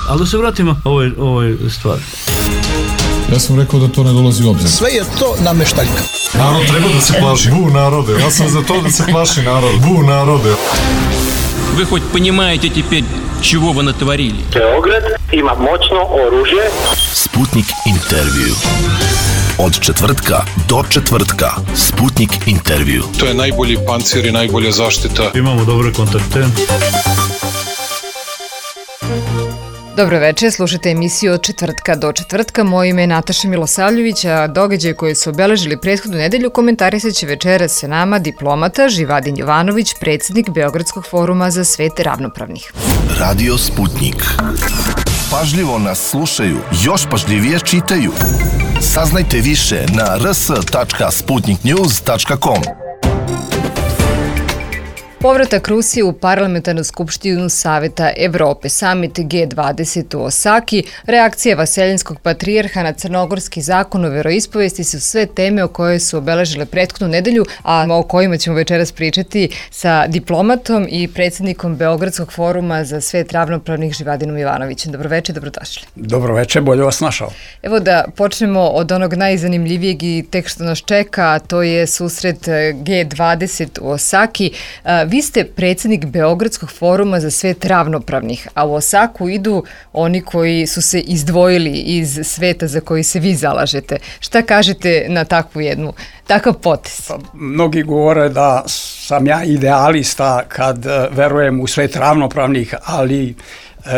Ali da se vratimo ovoj stvari. Ja sam rekao da to ne dolazi u obzir. Sve je to nameštaljka. Narod treba da se plaši. Bu narode. Ja sam za to da se plaši narod. Bu narode. Вы хоть понимаете теперь, чего вы натворили? Beograd ima moćno oružje. Sputnik intervju. Od četvrtka do četvrtka. Sputnik intervju. To je najbolji pancir i najbolja zaštita. Imamo dobre kontakte. Dobro večer, slušajte emisiju od četvrtka do četvrtka. Moje ime je Nataša Milosavljević, a događaje koje su obeležili prethodnu nedelju komentarisat će večeras sa nama diplomata Živadin Jovanović, predsjednik Beogradskog foruma za svet ravnopravnih. Radio Sputnik. Pažljivo nas slušaju, još pažljivije čitaju. Saznajte više na rs.sputniknews.com. Povratak Rusije u Parlamentarnu skupštinu Saveta Evrope, samit G20 u Osaki, reakcija Vaseljenskog patrijarha na crnogorski zakon o veroispovesti su sve teme o koje su obeležile prethodnu nedelju, a o kojima ćemo večeras pričati sa diplomatom i predsjednikom Beogradskog foruma za svet ravnopravnih Živadinom Jovanovićem. Dobroveče, dobrodošli. Dobroveče, bolje vas našao. Evo da počnemo od onog najzanimljivijeg i tek što nas čeka, a to je susret G20 u Osaki. Vi ste predsjednik Beogradskog foruma za svet ravnopravnih, a u Osaku idu oni koji su se izdvojili iz sveta za koji se vi zalažete. Šta kažete na takav potez? Mnogi govore da sam ja idealista kad verujem u svet ravnopravnih, ali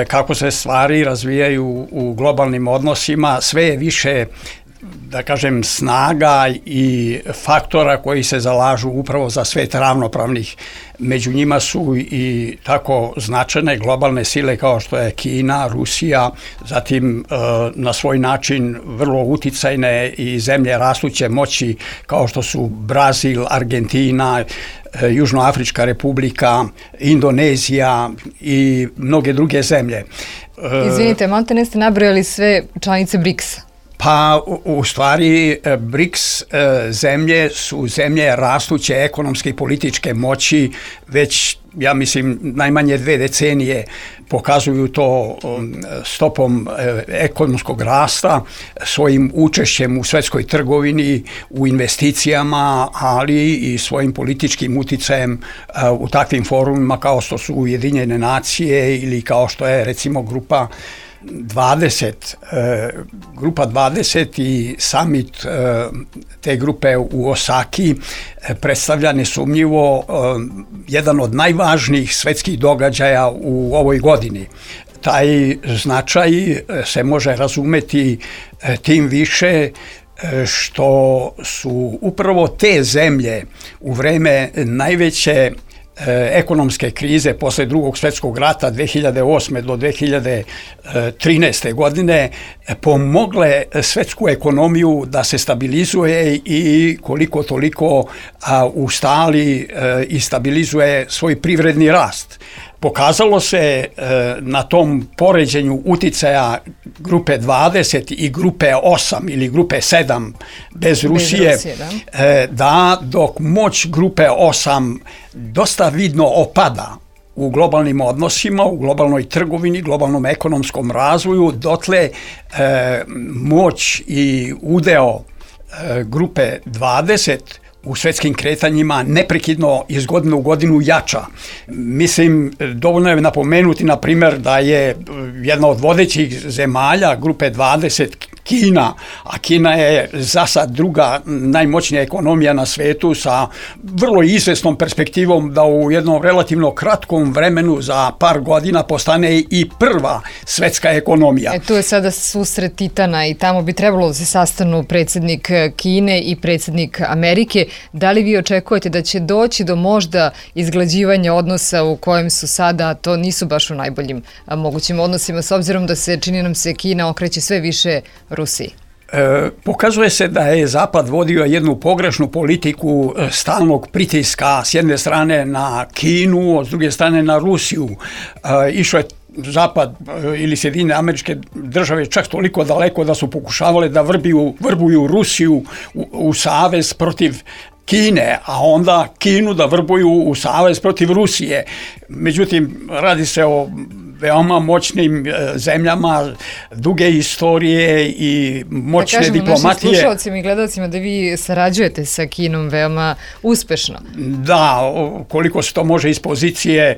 kako se stvari razvijaju u globalnim odnosima, sve je više, da kažem, snaga i faktora koji se zalažu upravo za svet ravnopravnih. Među njima su i tako značajne globalne sile kao što je Kina, Rusija, zatim na svoj način vrlo uticajne i zemlje rastuće moći kao što su Brazil, Argentina, Južnoafrička republika, Indonezija i mnoge druge zemlje. Izvinite, malo ne ste nabrojali sve članice BRICS-a. Pa u stvari BRICS zemlje su zemlje rastuće ekonomske i političke moći, već ja mislim najmanje 2 decenije pokazuju to stopom ekonomskog rasta, svojim učešćem u svjetskoj trgovini, u investicijama, ali i svojim političkim uticajem u takvim forumima kao što su Ujedinjene nacije ili kao što je recimo Grupa 20 i summit te grupe u Osaki predstavlja nesumnjivo jedan od najvažnijih svjetskih događaja u ovoj godini. Taj značaj se može razumeti tim više što su upravo te zemlje u vreme najveće ekonomske krize posle Drugog svjetskog rata 2008. do 2013. godine pomogle svjetsku ekonomiju da se stabilizuje i koliko toliko ustali i stabilizuje svoj privredni rast. Pokazalo se na tom poređenju uticaja grupe 20 i grupe 8 ili grupe 7 bez Rusije, da dok moć grupe 8 dosta vidno opada u globalnim odnosima, u globalnoj trgovini, globalnom ekonomskom razvoju, dotle moć i udeo grupe 20 u svjetskim kretanjima neprekidno iz godine u godinu jača. Mislim, dovoljno je napomenuti, na primjer, da je jedna od vodećih zemalja grupe 20 Kina, a Kina je za sad druga najmoćnija ekonomija na svetu sa vrlo izvesnom perspektivom da u jednom relativno kratkom vremenu za par godina postane i prva svetska ekonomija. Tu je sada susret titana i tamo bi trebalo da se sastanu predsjednik Kine i predsjednik Amerike. Da li vi očekujete da će doći do možda izglađivanja odnosa u kojem su sada, to nisu baš u najboljim mogućim odnosima, s obzirom da se, čini nam se, Kina okreće sve više Rusiji? Pokazuje se da je Zapad vodio jednu pogrešnu politiku stalnog pritiska s jedne strane na Kinu, a s druge strane na Rusiju. Išao je Zapad ili Sjedinjene Američke Države čak toliko daleko da su pokušavale da vrbuju Rusiju u savez protiv Kine, a onda Kinu da vrbuju u savez protiv Rusije. Međutim, radi se o veoma moćnim zemljama, duge istorije i moćne da kažemo diplomatije. Našim slušalcima i gledalcima da vi sarađujete sa Kinom veoma uspešno. Da, koliko se to može iz pozicije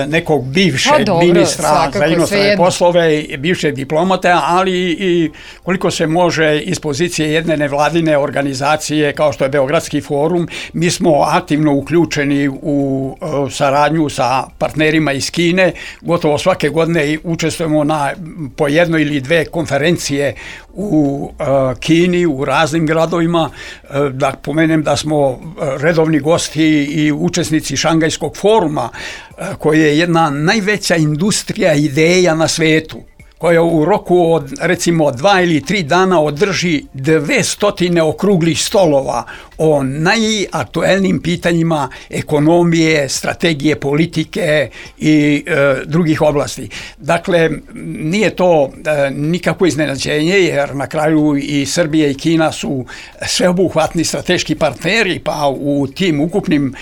nekog bivšeg ministra za inostrane poslove, bivšeg diplomata, ali i koliko se može iz pozicije jedne nevladine organizacije kao što je Beogradski forum. Mi smo aktivno uključeni u saradnju sa partnerima iz Kine. Gotovo svake godine učestvujemo na po jednoj ili dve konferencije u Kini, u raznim gradovima. Da pomenem da smo redovni gosti i učesnici Šangajskog foruma, koji je jedna najveća industrija ideja na svetu, koja u roku od recimo 2 ili 3 dana održi 200 okruglih stolova o najaktuelnijim pitanjima ekonomije, strategije, politike i drugih oblasti. Dakle, nije to nikakvo iznenađenje, jer na kraju i Srbija i Kina su sveobuhvatni strateški partneri, pa u tim ukupnim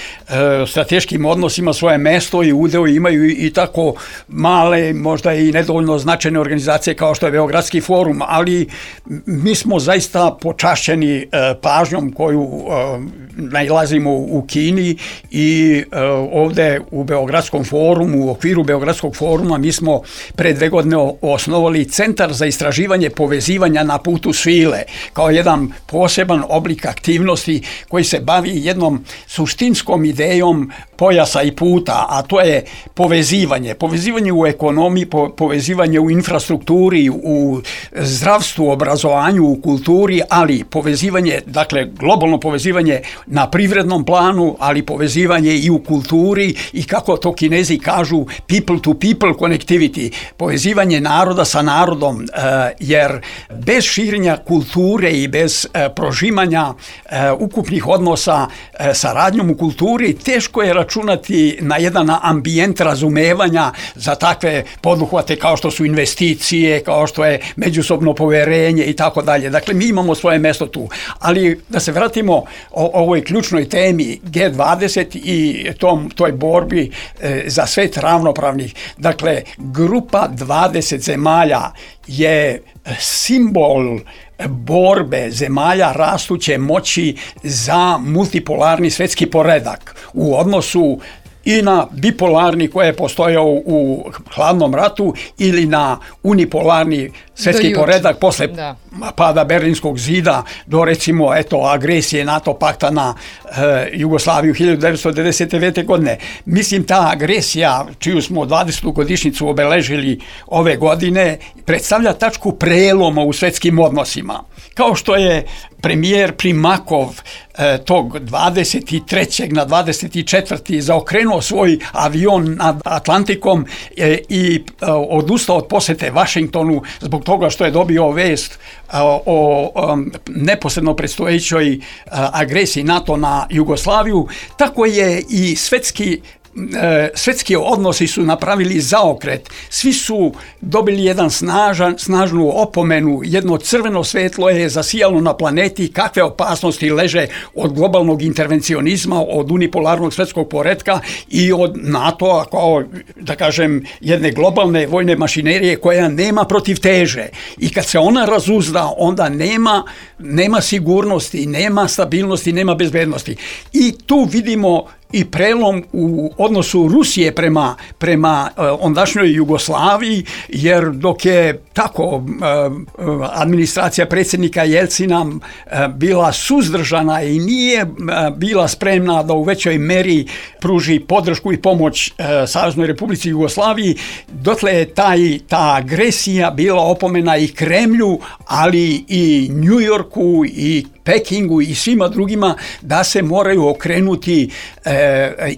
strateškim odnosima svoje mesto i udeo imaju i tako male, možda i nedovoljno značajne organizacije kao što je Beogradski forum, ali mi smo zaista počašćeni pažnjom koju nailazimo u Kini i ovde u Beogradskom forumu, u okviru Beogradskog foruma mi smo pre 2 godine osnovali Centar za istraživanje povezivanja na putu svile, kao jedan poseban oblik aktivnosti koji se bavi jednom suštinskom idejom pojasa i puta, a to je povezivanje. Povezivanje u ekonomiji, povezivanje u infrastrukturi, u zdravstvu, obrazovanju, u kulturi, ali povezivanje, dakle globalno povezivanje na privrednom planu, ali povezivanje i u kulturi i kako to Kinezi kažu people to people connectivity, povezivanje naroda sa narodom, jer bez širenja kulture i bez prožimanja ukupnih odnosa saradnjom u kulturi teško je računati na jedan ambijent razumevanja za takve poduhvate kao što su investicije, kao što je međusobno poverenje i tako dalje. Dakle, mi imamo svoje mesto tu. Ali da se vratimo ovoj ključnoj temi G20 i toj borbi za svet ravnopravnih. Dakle, grupa 20 zemalja je simbol borbe zemalja rastuće moći za multipolarni svetski poredak u odnosu i na bipolarni koji je postojao u hladnom ratu ili na unipolarni svetski poredak posle pada Berlinskog zida do recimo agresije NATO pakta na Jugoslaviju 1999. godine. Mislim, ta agresija, čiju smo 20. godišnjicu obeležili ove godine, predstavlja tačku preloma u svetskim odnosima. Kao što je premijer Primakov tog 23. na 24. zaokrenuo svoj avion nad Atlantikom i odustao od posete Vašingtonu zbog toga što je dobio vest o neposredno predstojećoj agresiji NATO na Jugoslaviju, tako je i svetski odnosi su napravili zaokret. Svi su dobili jedan snažnu opomenu, jedno crveno svetlo je zasijalo na planeti kakve opasnosti leže od globalnog intervencionizma, od unipolarnog svetskog poretka i od NATO-a kao, da kažem, jedne globalne vojne mašinerije koja nema protivteže. I kad se ona razuzda, onda nema sigurnosti, nema stabilnosti, nema bezbednosti. I tu vidimo i prelom u odnosu Rusije prema ondašnjoj Jugoslaviji, jer dok je tako administracija predsjednika Jelcina bila suzdržana i nije bila spremna da u većoj meri pruži podršku i pomoć Saveznoj Republici Jugoslaviji, dotle je ta agresija bila opomena i Kremlju, ali i Njujorku i Pekingu i svima drugima da se moraju okrenuti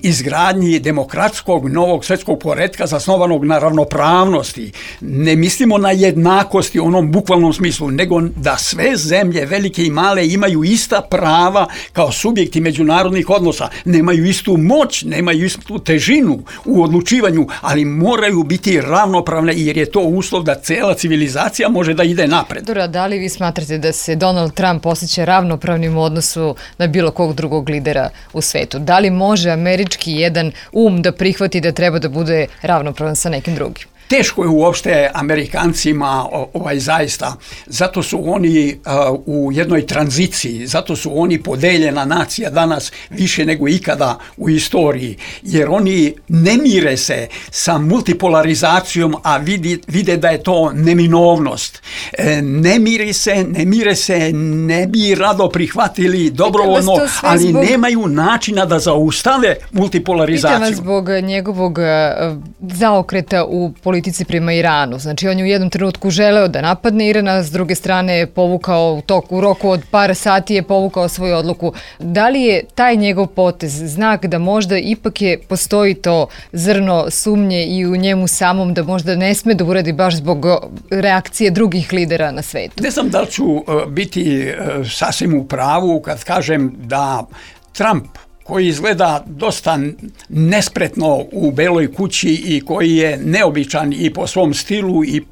izgradnji demokratskog novog svetskog poretka zasnovanog na ravnopravnosti. Ne mislimo na jednakosti u onom bukvalnom smislu, nego da sve zemlje, velike i male, imaju ista prava kao subjekti međunarodnih odnosa. Nemaju istu moć, nemaju istu težinu u odlučivanju, ali moraju biti ravnopravne jer je to uslov da cela civilizacija može da ide napred. Dora, da li vi smatrate da se Donald Trump osjeća ravnopravnim u odnosu na bilo kog drugog lidera u svetu? Da li može američki jedan da prihvati da treba da bude ravnopravan sa nekim drugim? Teško je uopšte Amerikancima zaista. Zato su oni u jednoj tranziciji, zato su oni podeljena nacija danas više nego ikada u istoriji, jer oni ne mire se sa multipolarizacijom, a vide da je to neminovnost. Ne mire se, ne bi rado prihvatili dobrovoljno, ali nemaju načina da zaustave multipolarizaciju. Pitam vas zbog njegovog zaokreta u politici prema Iranu. Znači, on je u jednom trenutku želeo da napadne Iran, a s druge strane je povukao u roku od par sati je povukao svoju odluku. Da li je taj njegov potez znak da možda ipak postoji to zrno sumnje i u njemu samom da možda ne sme da uradi baš zbog reakcije drugih lidera na svetu? Ne znam da li ću biti sasvim u pravu kad kažem da Trump, koji izgleda dosta nespretno u Beloj kući i koji je neobičan i po svom stilu i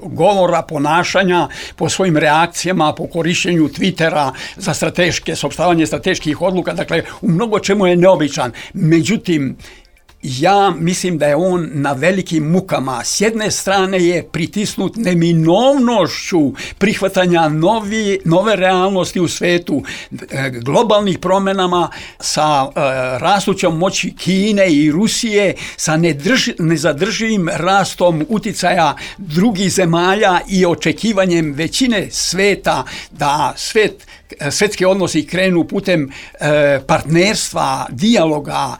govora, ponašanja, po svojim reakcijama, po korišćenju Twittera za saopštavanje strateških odluka, dakle u mnogo čemu je neobičan. Međutim, ja mislim da je on na velikim mukama. S jedne strane je pritisnut neminovnošću prihvatanja nove realnosti u svetu, globalnih promjenama sa rastućom moći Kine i Rusije, sa nezadrživim rastom uticaja drugih zemalja i očekivanjem većine sveta da svetski odnosi krenu putem partnerstva, dijaloga,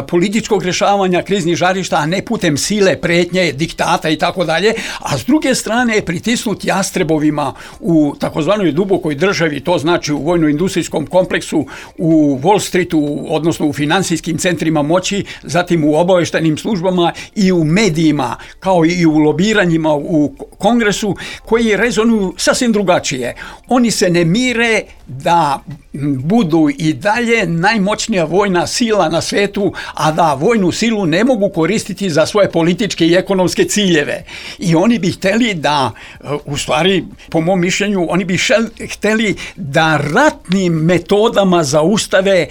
političkog rješavanja kriznih žarišta, a ne putem sile, pretnje, diktata i tako dalje, a s druge strane je pritisnut jastrebovima u takozvanoj dubokoj državi, to znači u vojno-industrijskom kompleksu, u Wall Streetu, odnosno u financijskim centrima moći, zatim u obavještajnim službama i u medijima, kao i u lobiranjima u Kongresu, koji rezonuju sasvim drugačije. Oni se ne mire da budu i dalje najmoćnija vojna sila na svetu, a da vojnu silu ne mogu koristiti za svoje političke i ekonomske ciljeve. I oni bi htjeli da, u stvari, po mom mišljenju, oni bi htjeli da ratnim metodama zaustave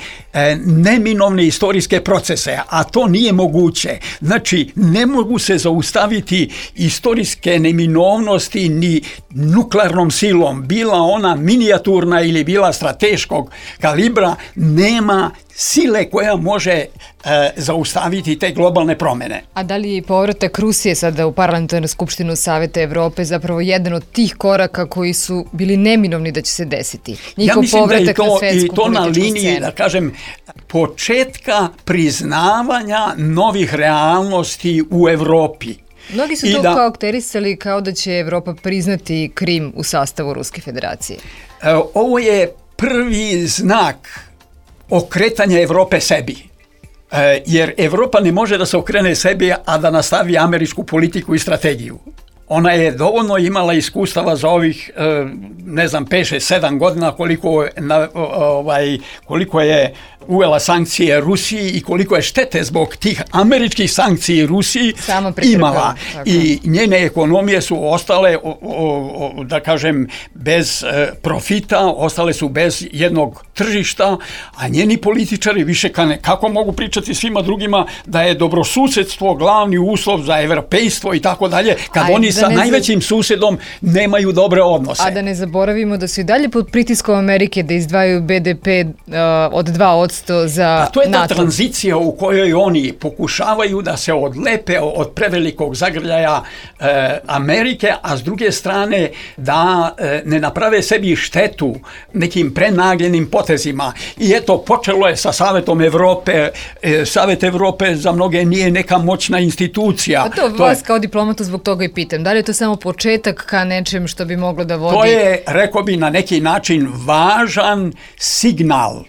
neminovne istorijske procese, a to nije moguće. Znači, ne mogu se zaustaviti istorijske neminovnosti ni nuklearnom silom, bila ona minijaturna ili bila strateškog kalibra, nema sile koja može zaustaviti te globalne promjene. A da li je povratak Rusije sada u Parlamentarnu skupštinu Saveta Evrope zapravo jedan od tih koraka koji su bili neminovni da će se desiti? Ja mislim da je to na liniji, da kažem, početka priznavanja novih realnosti u Evropi. Mnogi su to karakterisali kao da će Evropa priznati Krim u sastavu Ruske federacije. Ovo je prvi znak okretanja Evrope sebi. Jer Evropa ne može da se okrene sebi, a da nastavi američku politiku i strategiju. Ona je dovoljno imala iskustava za ovih, 5-7 godina koliko je uvela sankcije Rusiji i koliko je štete zbog tih američkih sankciji Rusiji imala. I njene ekonomije su ostale, da kažem, bez profita, ostale su bez jednog tržišta, a njeni političari više kako mogu pričati svima drugima da je dobrosusjedstvo glavni uslov za evropejstvo i tako dalje, kad oni sa najvećim susjedom nemaju dobre odnose. A da ne zaboravimo da su i dalje pod pritiskom Amerike da izdvajaju BDP od 2% za NATO. To je ta tranzicija u kojoj oni pokušavaju da se odlepe od prevelikog zagrljaja Amerike, a s druge strane da ne naprave sebi štetu nekim prenagljenim potezima. I eto, počelo je sa Savetom Evrope. Savet Evrope za mnoge nije neka moćna institucija. A to vas kao diplomatu zbog toga i pitam. Da li je to samo početak ka nečem što bi moglo da vodi? To je, rekao bi, na neki način važan signal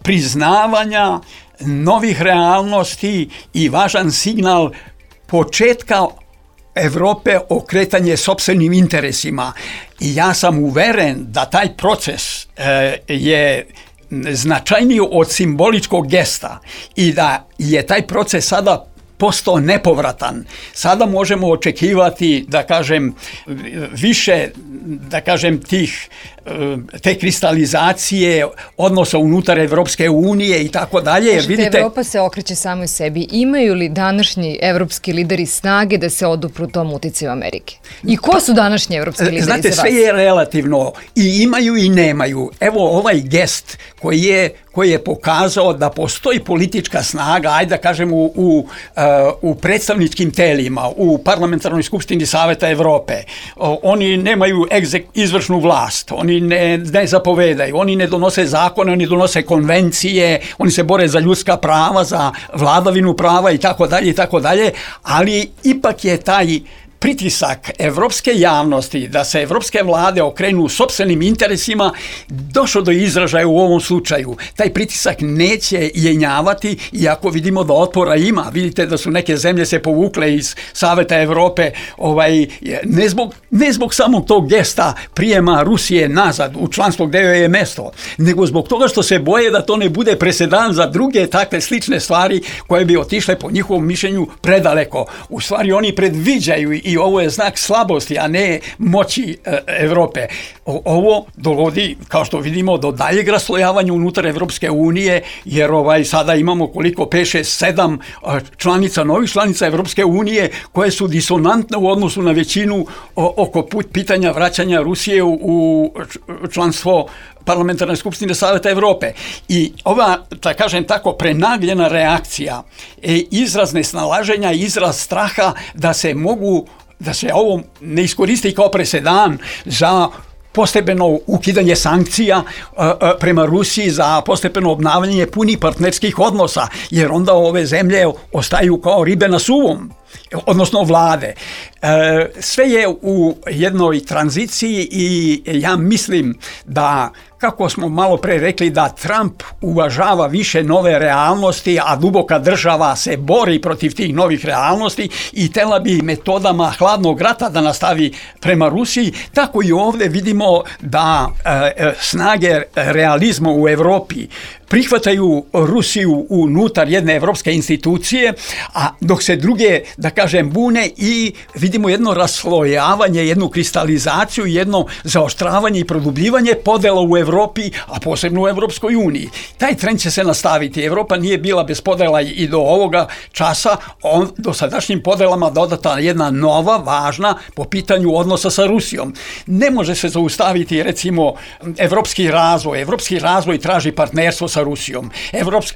priznavanja novih realnosti i važan signal početka Evrope okretanje sopstvenim interesima. I ja sam uveren da taj proces je značajniji od simboličkog gesta i da je taj proces sada postao nepovratan. Sada možemo očekivati, da kažem, više, da kažem, te kristalizacije odnosa unutar Evropske unije i tako dalje. Jer vidite, Evropa se okreće samoj sebi. Imaju li današnji evropski lideri snage da se odupru tom uticaju Amerike? I ko su današnji evropski lideri za vas? Znate, sve je relativno. I imaju i nemaju. Evo ovaj gest koji je pokazao da postoji politička snaga, ajde da kažem u predstavničkim telima, u Parlamentarnoj skupštini Saveta Evrope. Oni nemaju izvršnu vlast, oni ne zapovedaju, oni ne donose zakone, oni donose konvencije, oni se bore za ljudska prava, za vladavinu prava i tako dalje, ali ipak je taj pritisak evropske javnosti da se evropske vlade okrenu sopstvenim interesima došao do izražaja u ovom slučaju. Taj pritisak neće jenjavati, iako vidimo da otpora ima. Vidite da su neke zemlje se povukle iz Saveta Evrope, ne zbog samog tog gesta prijema Rusije nazad u članstvo gde joj je mesto, nego zbog toga što se boje da to ne bude presedan za druge takve slične stvari koje bi otišle po njihovom mišljenju predaleko. U stvari oni predviđaju i ovo je znak slabosti, a ne moći Evrope. Ovo dovodi, kao što vidimo, do daljeg raslojavanja unutar Evropske unije, jer sada imamo koliko 5, 6, 7 novih članica Evropske unije koje su disonantne u odnosu na većinu oko pitanja vraćanja Rusije u članstvo Parlamentarne skupštine Saveta Evrope. I ova, da kažem tako, prenagljena reakcija, izraz nesnalaženja, izraz straha da se ovo ne iskoristi kao presedan za postepeno ukidanje sankcija prema Rusiji, za postepeno obnavljanje punih partnerskih odnosa, jer onda ove zemlje ostaju kao ribe na suvom, odnosno vlade. Sve je u jednoj tranziciji i ja mislim da, kako smo malo pre rekli, da Trump uvažava više nove realnosti, a duboka država se bori protiv tih novih realnosti i tela bi metodama hladnog rata da nastavi prema Rusiji. Tako i ovdje vidimo da snage realizma u Evropi prihvataju Rusiju unutar jedne evropske institucije, a dok se druge, da kažem, bune i vidimo jedno raslojavanje, jednu kristalizaciju, jedno zaoštravanje i produbljivanje podela u Evropi, a posebno u Evropskoj uniji. Taj trend će se nastaviti. Evropa nije bila bez podela i do ovoga časa, do sadašnjim podelama dodata jedna nova, važna po pitanju odnosa sa Rusijom. Ne može se zaustaviti, recimo, evropski razvoj. Evropski razvoj traži partnerstvo sa Rusijom.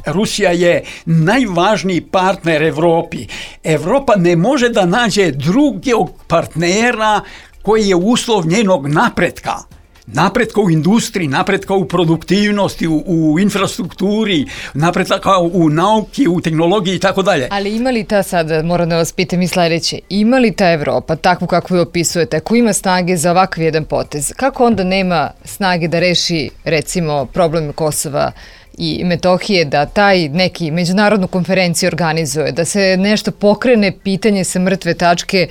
Rusija je najvažniji partner Evropi. Evropa ne može da nađe drugog partnera koji je uslov njenog napretka. Napretka u industriji, napretka u produktivnosti, u infrastrukturi, napretka u nauki, u tehnologiji i tako dalje. Ali ima li ta, sad moram da vas pitam i sledeće, ima li ta Evropa, takvu kakvu je opisujete, ako ima snage za ovakav jedan potez, kako onda nema snage da reši, recimo, problem Kosova i Metohije, da taj neki međunarodnu konferenciju organizuje, da se nešto pokrene pitanje sa mrtve tačke,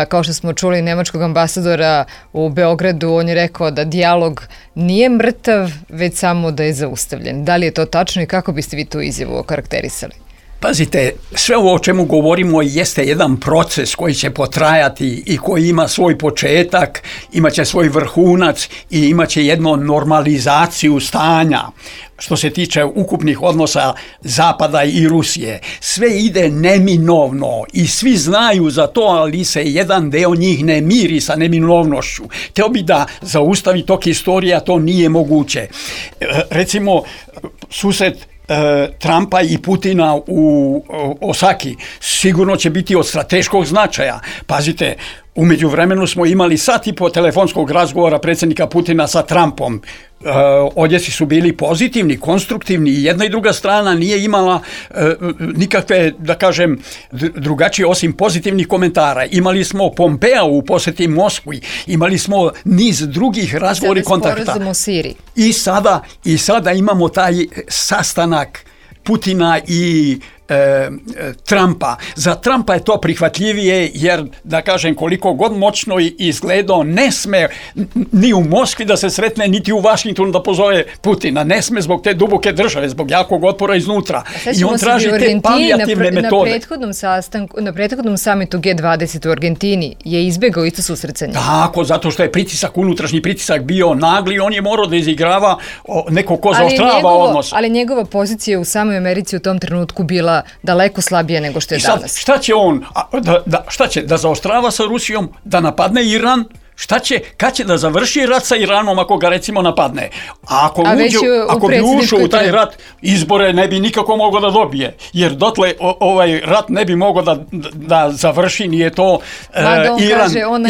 kao što smo čuli nemačkog ambasadora u Beogradu, on je rekao da dijalog nije mrtav, već samo da je zaustavljen. Da li je to tačno i kako biste vi tu izjavu okarakterisali? Pazite, sve ovo o čemu govorimo jeste jedan proces koji će potrajati i koji ima svoj početak, imaće svoj vrhunac i imaće jednu normalizaciju stanja što se tiče ukupnih odnosa Zapada i Rusije. Sve ide neminovno i svi znaju za to, ali se jedan deo njih ne miri sa neminovnošću. Teo bi da zaustavi tok istorije, a to nije moguće. Recimo, susret Trumpa i Putina u Osaki sigurno će biti od strateškog značaja. Pazite, u međuvremenu smo imali sat i po telefonskog razgovora predsjednika Putina sa Trumpom. Odjeci su bili pozitivni, konstruktivni i jedna i druga strana nije imala nikakve, da kažem, drugačije osim pozitivnih komentara. Imali smo Pompea u posjeti Moskvi, imali smo niz drugih razgovora i kontakta. I sada imamo taj sastanak Putina i Trumpa. Za Trumpa je to prihvatljivije jer, da kažem, koliko god moćno izgledao, ne sme ni u Moskvi da se sretne, niti u Vašingtonu da pozove Putina. Ne sme zbog te duboke države, zbog jakog otpora iznutra. I on traži te palijativne metode. Na prethodnom samitu G20 u Argentini je izbegao isto susretanje. Tako, zato što je unutrašnji pritisak bio nagli, on je morao da izigrava neko ko zaoštrava odnos. Ali njegova pozicija u samoj Americi u tom trenutku bila daleko slabija nego što je danas. Šta će on? Šta će? Da zaoštrava sa Rusijom? Da napadne Iran? Šta će? Kad će da završi rat sa Iranom ako ga recimo napadne? Ako bi ušao u taj rat, izbore ne bi nikako mogao da dobije. Jer dotle ovaj rat ne bi mogao da završi, nije to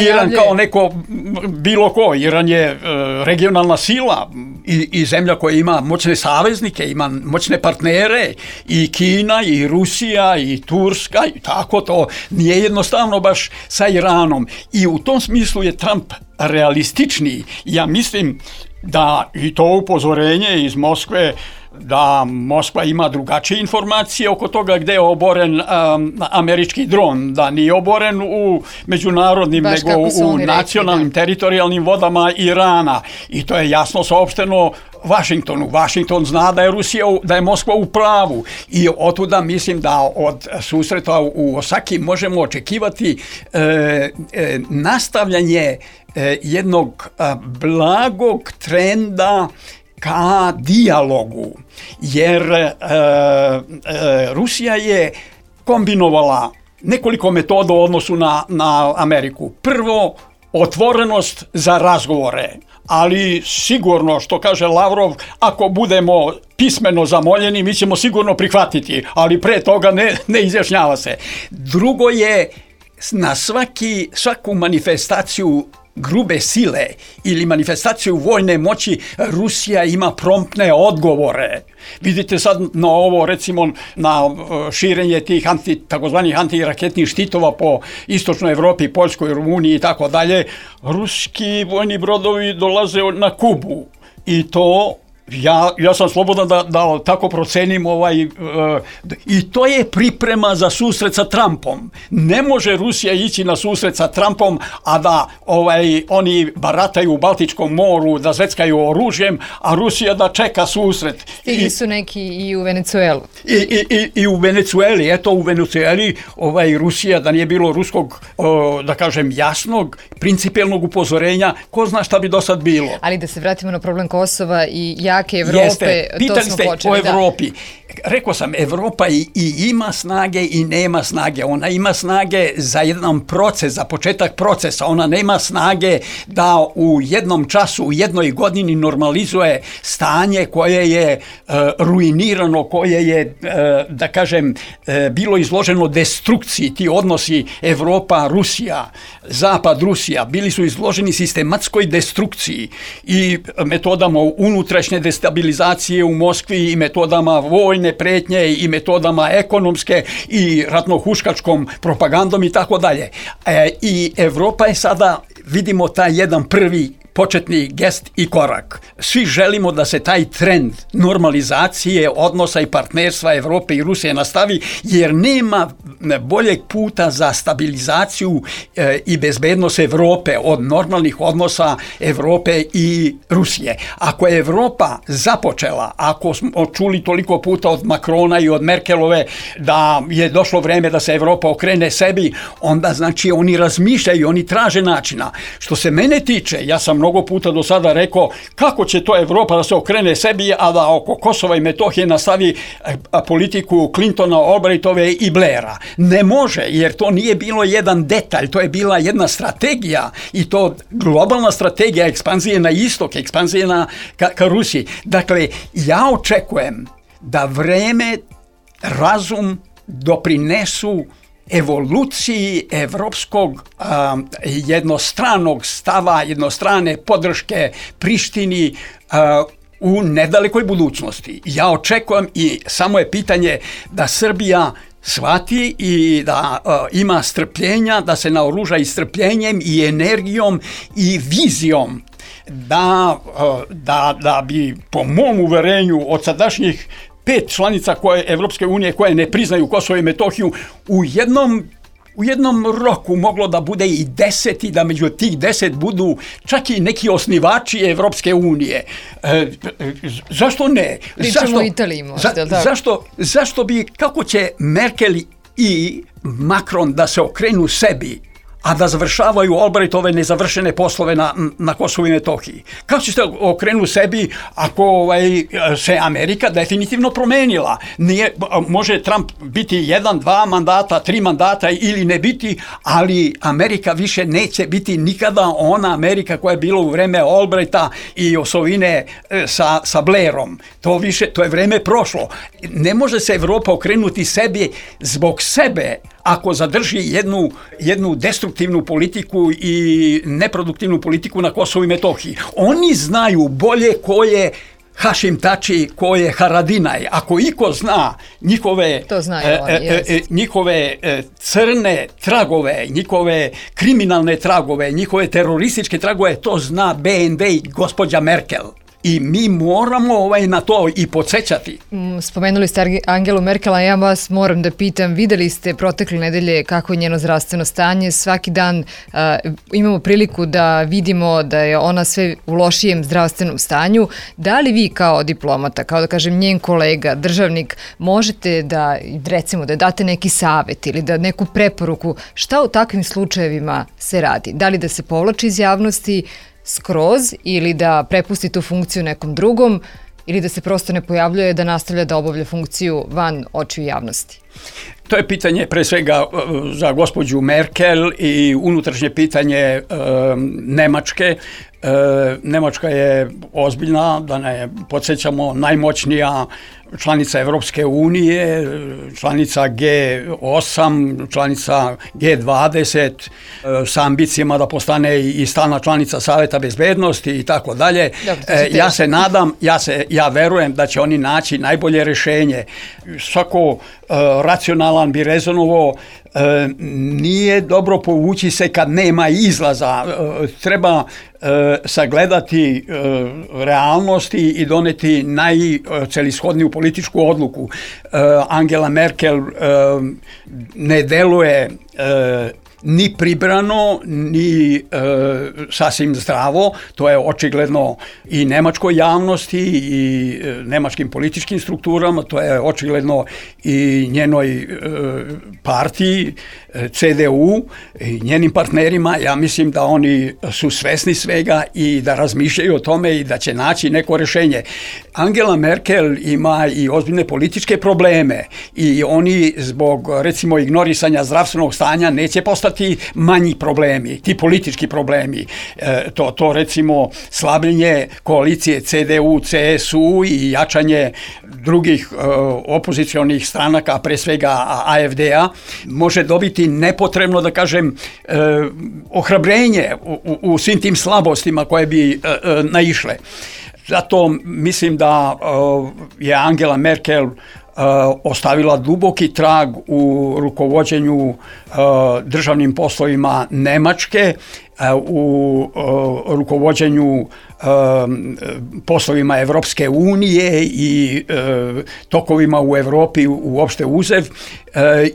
Iran kao neko bilo ko. Iran je regionalna sila i zemlja koja ima moćne saveznike, ima moćne partnere, i Kina, i Rusija, i Turska, i tako to. Nije jednostavno baš sa Iranom. I u tom smislu je Trump realističniji. Ja mislim da i to upozorenje iz Moskve, da Moskva ima drugačije informacije oko toga gde je oboren američki dron, da nije oboren u međunarodnim, nego u nacionalnim, teritorijalnim vodama Irana. I to je jasno saopšteno Vašingtonu. Vašington zna da je Moskva u pravu i otuda mislim da od susreta u Osaki možemo očekivati nastavljanje jednog blagog trenda ka dijalogu, jer Rusija je kombinovala nekoliko metoda u odnosu na Ameriku. Prvo, otvorenost za razgovore, ali sigurno, što kaže Lavrov, ako budemo pismeno zamoljeni, mi ćemo sigurno prihvatiti, ali pre toga ne izjašnjava se. Drugo je, na svaku manifestaciju grube sile ili manifestaciju vojne moći Rusija ima promptne odgovore. Vidite sad na ovo, recimo na širenje tih takozvanih antiraketnih štitova po istočnoj Evropi, Poljskoj, Rumuniji i tako dalje. Ruski vojni brodovi dolaze na Kubu i to ja sam slobodan da tako procenim i to je priprema za susret sa Trumpom. Ne može Rusija ići na susret sa Trumpom, a da oni barataju u Baltičkom moru, da zveckaju oružjem, a Rusija da čeka susret. Stigli su neki i u Venecuelu. I u Venecueli, u Venecueli Rusija, da nije bilo ruskog, da kažem, jasnog, principijelnog upozorenja, ko zna šta bi do sad bilo. Ali da se vratimo na problem Kosova i jake Evrope, pitali ste o Evropi. Rekao sam, Evropa i ima snage i nema snage. Ona ima snage za jedan proces, za početak procesa. Ona nema snage da u jednom času, u jednoj godini normalizuje stanje koje je ruinirano, koje je, da kažem, bilo izloženo destrukciji. Ti odnosi Evropa-Rusija, Zapad-Rusija bili su izloženi sistematskoj destrukciji i metodama unutrašnje destabilizacije u Moskvi i metodama vojne pretnje i metodama ekonomske i ratno-huškačkom propagandom i tako dalje. I Evropa je sada, vidimo, taj jedan prvi početni gest i korak. Svi želimo da se taj trend normalizacije odnosa i partnerstva Evrope i Rusije nastavi, jer nema boljeg puta za stabilizaciju i bezbednost Evrope od normalnih odnosa Evrope i Rusije. Ako je Evropa započela, ako smo čuli toliko puta od Makrona i od Merkelove da je došlo vreme da se Evropa okrene sebi, onda znači oni razmišljaju, oni traže načina. Što se mene tiče, ja sam mnogo puta do sada rekao kako će to Evropa da se okrene sebi, a da oko Kosova i Metohije nastavi politiku Clintona, Albrightove i Blaira. Ne može, jer to nije bilo jedan detalj, to je bila jedna strategija i to globalna strategija ekspanzije na istok, ekspanzije ka Rusiji. Dakle, ja očekujem da vreme, razum doprinesu evoluciji evropskog jednostranog stava, jednostrane podrške Prištini u nedalekoj budućnosti. Ja očekujem i samo je pitanje da Srbija shvati i da ima strpljenja, da se naoruža i strpljenjem i energijom i vizijom da bi, po mom uverenju, od sadašnjih 5 članica Evropske unije koje ne priznaju Kosovo i Metohiju, u jednom roku moglo da bude i 10 i da među tih 10 budu čak i neki osnivači Evropske unije. Zašto ne? Pričamo o Italiji možda, zašto bi, kako će Merkel i Macron da se okrenu sebi, a da završavaju Albrightove nezavršene poslove na Kosovu i Metohiji? Kako će se okrenu sebi ako se Amerika definitivno promenila? Može Trump biti 1, 2 mandata, 3 mandata ili ne biti, ali Amerika više neće biti nikada ona Amerika koja je bila u vreme Albrighta i osovine sa Blairom. To je vreme prošlo. Ne može se Evropa okrenuti sebi zbog sebe ako zadrži jednu destruktivnu politiku i neproduktivnu politiku na Kosovu i Metohiji. Oni znaju bolje ko je Hašim Tači, ko je Haradinaj. Ako iko zna njihove crne tragove, njihove kriminalne tragove, njihove terorističke tragove, to zna BND i gospođa Merkel. I mi moramo na to i podsjećati. Spomenuli ste Angelu Merkel, a ja vas moram da pitam, videli ste protekle nedelje kako je njeno zdravstveno stanje, svaki dan imamo priliku da vidimo da je ona sve u lošijem zdravstvenom stanju. Da li vi kao diplomata, kao da kažem njen kolega, državnik, možete da, recimo, da date neki savjet ili da neku preporuku, šta u takvim slučajevima se radi? Da li da se povlači iz javnosti skroz ili da prepusti tu funkciju nekom drugom ili da se prosto ne pojavljuje, da nastavlja da obavlja funkciju van očiju javnosti? To je pitanje pre svega za gospođu Merkel i unutrašnje pitanje Nemačke. Nemačka je ozbiljna, da ne podsjećamo, najmoćnija članica Evropske unije, članica G8, članica G20, sa ambicijama da postane i stalna članica Saveta bezbednosti i tako dalje. Ja se nadam, ja verujem da će oni naći najbolje rješenje. Svako racionalan bi rezonovao, nije dobro povući se kad nema izlaza. Treba sagledati realnosti i doneti najcelishodniju političku odluku. Angela Merkel ne deluje ni pribrano, ni sasvim zdravo. To je očigledno i nemačkoj javnosti i nemačkim političkim strukturama, to je očigledno i njenoj partiji CDU i njenim partnerima. Ja mislim da oni su svesni svega i da razmišljaju o tome i da će naći neko rješenje. Angela Merkel ima i ozbiljne političke probleme i oni zbog, recimo, ignorisanja zdravstvenog stanja neće postati manji problemi, ti politički problemi. To recimo slabljenje koalicije CDU, CSU i jačanje drugih opozicionih stranaka, pre svega AFD-a, može dobiti nepotrebno, da kažem, ohrabrenje u svim tim slabostima koje bi naišle. Zato mislim da je Angela Merkel ostavila duboki trag u rukovođenju državnim poslovima Nemačke, u rukovođenju poslovima Evropske unije i tokovima u Evropi uopšte uzev,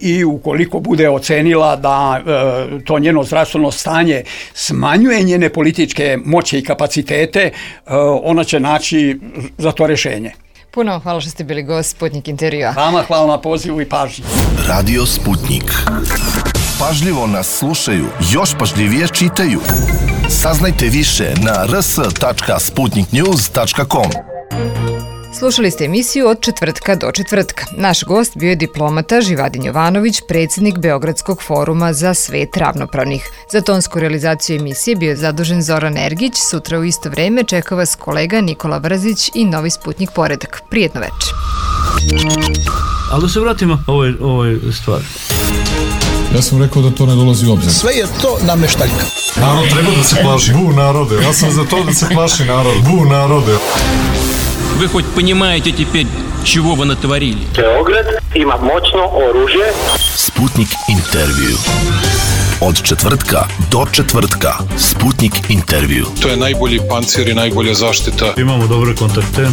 i ukoliko bude ocenila da to njeno zdravstveno stanje smanjuje njene političke moći i kapacitete, ona će naći za to rješenje. Puno hvala što ste bili gost Sputnik intervjua. Vama hvala na pozivu i pažnji. Radio Sputnik. Pažljivo nas slušaju, još pažljivije čitaju. Saznajte više na rs.sputniknews.com. Slušali ste emisiju Od četvrtka do četvrtka. Naš gost bio je diplomata Živadin Jovanović, predsjednik Beogradskog foruma za svet ravnopravnih. Za tonsku realizaciju emisije bio je zadužen Zoran Ergić. Sutra u isto vreme čeka vas kolega Nikola Brzić i Novi Sputnik Poredak. Prijetno večer. Ali da se vratimo ovoj stvari. Ja sam rekao da to ne dolazi u obzir. Sve je to nameštaljka. Narod treba da se plaši. Bu narode. Ja sam za to da se plaši narod. Bu narode. Вы хоть понимаете теперь, чего вы натворили? Beograd ima moćno oružje. Sputnik intervju. Od četvrtka do četvrtka. Sputnik intervju. To je najbolji pancir i najbolja zaštita. Imamo dobre kontakte.